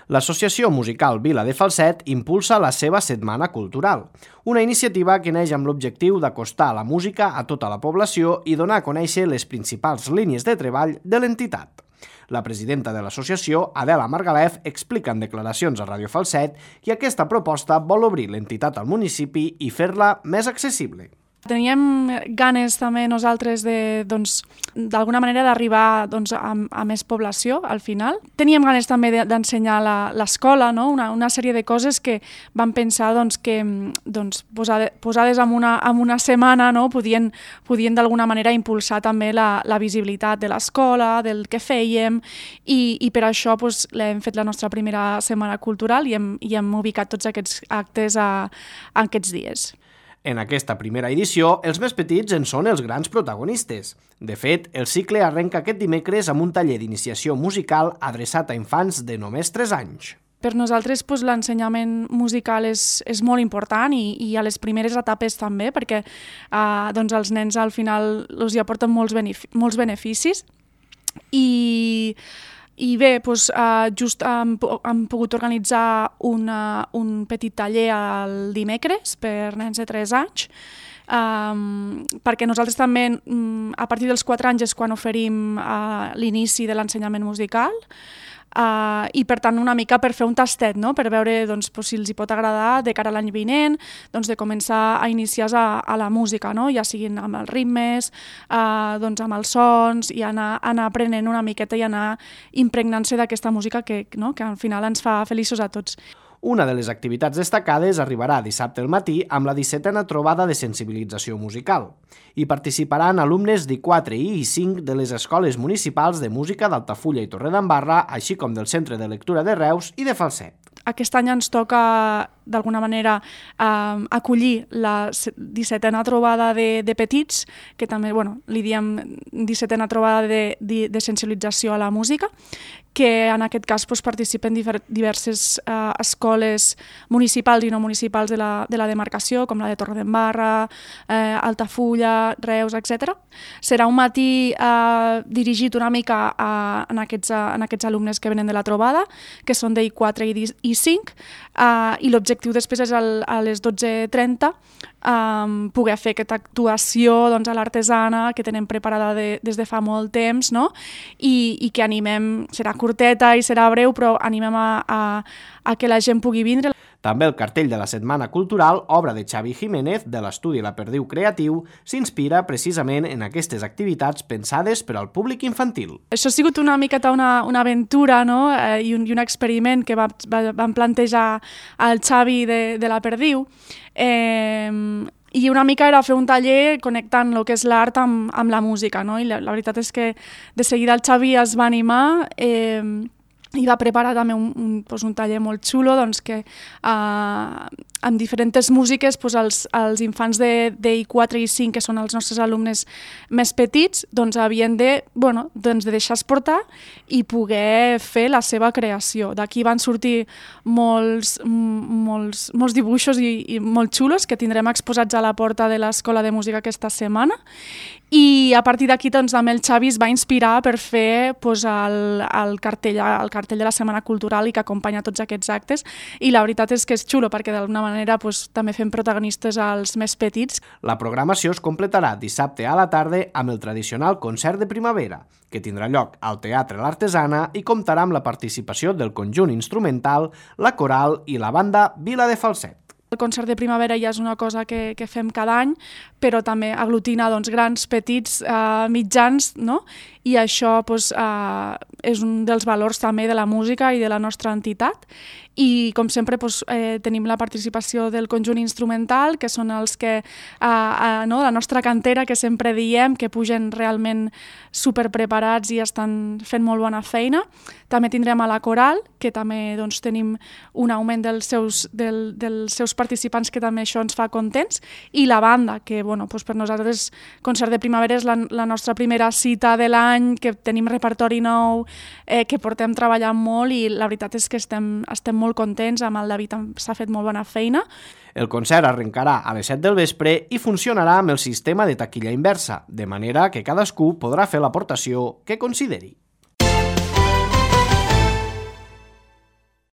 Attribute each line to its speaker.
Speaker 1: L'Associació Musical Vila de Falset impulsa la seva Setmana Cultural, una iniciativa que neix amb l'objectiu d'acostar la música a tota la població i donar a conèixer les principals línies de treball de l'entitat. La presidenta de l'associació, Adela Margalef, explica en declaracions a Ràdio Falset que aquesta proposta vol obrir l'entitat al municipi i fer-la més accessible.
Speaker 2: Teníem ganes també nosaltres d'alguna manera d'arribar a més població al final. Teníem ganes també d'ensenyar l'escola, no? Una sèrie de coses que vam pensar que posades en una setmana, no? podien d'alguna manera impulsar també la visibilitat de l'escola, del que fèiem, i per això l'hem fet la nostra primera setmana cultural i hem ubicat tots aquests actes aquests dies.
Speaker 1: En aquesta primera edició, els més petits en són els grans protagonistes. De fet, el cicle arrenca aquest dimecres amb un taller d'iniciació musical adreçat a infants de només 3 anys.
Speaker 2: Per nosaltres l'ensenyament musical és molt important i a les primeres etapes també, perquè els nens al final els hi aporten molts beneficis. I bé, just hem pogut organitzar un petit taller el dimecres per nens de 3 anys, perquè nosaltres també a partir dels 4 anys és quan oferim l'inici de l'ensenyament musical, i per tant una mica per fer un tastet, no? Per veure si els hi pot agradar de cara a l'any vinent, de començar a iniciar-se a la música, no? Ja siguin amb els ritmes, amb els sons, i anar aprenent una miqueta i anar impregnant-se d'aquesta música que al final ens fa feliços a tots.
Speaker 1: Una de les activitats destacades arribarà dissabte al matí amb la 17a trobada de sensibilització musical. Hi participaran alumnes d'I4 i I5 de les escoles municipals de música d'Altafulla i Torredembarra, així com del Centre de Lectura de Reus i de Falset.
Speaker 2: Aquest any ens toca, d'alguna manera, acollir la 17a trobada de petits, que també li diem 17a trobada de sensibilització a la música, que en aquest cas participen diverses escoles municipals i no municipals de la demarcació, com la de Torredembarra, Altafulla, Reus, etc. Serà un matí dirigit una mica en aquests alumnes que venen de la trobada, que són d'I4 i I5, i l'objectiu després és a les 12:30 poder fer aquesta actuació a l'Artesana que tenen preparada des de fa molt temps, no? I que animem, serà curteta i serà breu, però animem a que la gent pugui vindre.
Speaker 1: També el cartell de la Setmana Cultural, obra de Xavi Jiménez, de l'estudi La Perdiu Creatiu, s'inspira precisament en aquestes activitats pensades per al públic infantil.
Speaker 2: Això ha sigut una miqueta una aventura, no? I un experiment que vam plantejar al Xavi de La Perdiu, i una mica era fer un taller connectant el que és l'art amb la música, no? I la veritat és que de seguida el Xavi es va animar i va preparar també un taller molt xulo que amb diferents músiques els infants d'I4 i I5, que són els nostres alumnes més petits, havien de deixar-se portar i poder fer la seva creació. D'aquí van sortir molts dibuixos i molt xulos que tindrem exposats a la porta de l'Escola de Música aquesta setmana, i a partir d'aquí també el Xavi es va inspirar per fer el cartell de la Setmana Cultural i que acompanya tots aquests actes, i la veritat és que és xulo perquè d'alguna manera també fem protagonistes als més petits.
Speaker 1: La programació es completarà dissabte a la tarda amb el tradicional concert de primavera, que tindrà lloc al Teatre L'Artesana i comptarà amb la participació del conjunt instrumental, la coral i la banda Vila de Falset.
Speaker 2: El concert de primavera ja és una cosa que fem cada any, però també aglutina grans, petits, mitjans, no? I això és un dels valors també de la música i de la nostra entitat. I com sempre tenim la participació del conjunt instrumental, que són els que, la nostra cantera, que sempre diem, que pugen realment superpreparats i estan fent molt bona feina. També tindrem a la coral, que també tenim un augment dels seus participants, que també això ens fa contents, i la banda, que per nosaltres concert de primavera és la nostra primera cita de l'any, que tenim repertori nou, que portem treballant molt, i la veritat és que estem molt contents, amb el David s'ha fet molt bona feina.
Speaker 1: El concert arrencarà a les 7 del vespre i funcionarà amb el sistema de taquilla inversa, de manera que cadascú podrà fer l'aportació que consideri.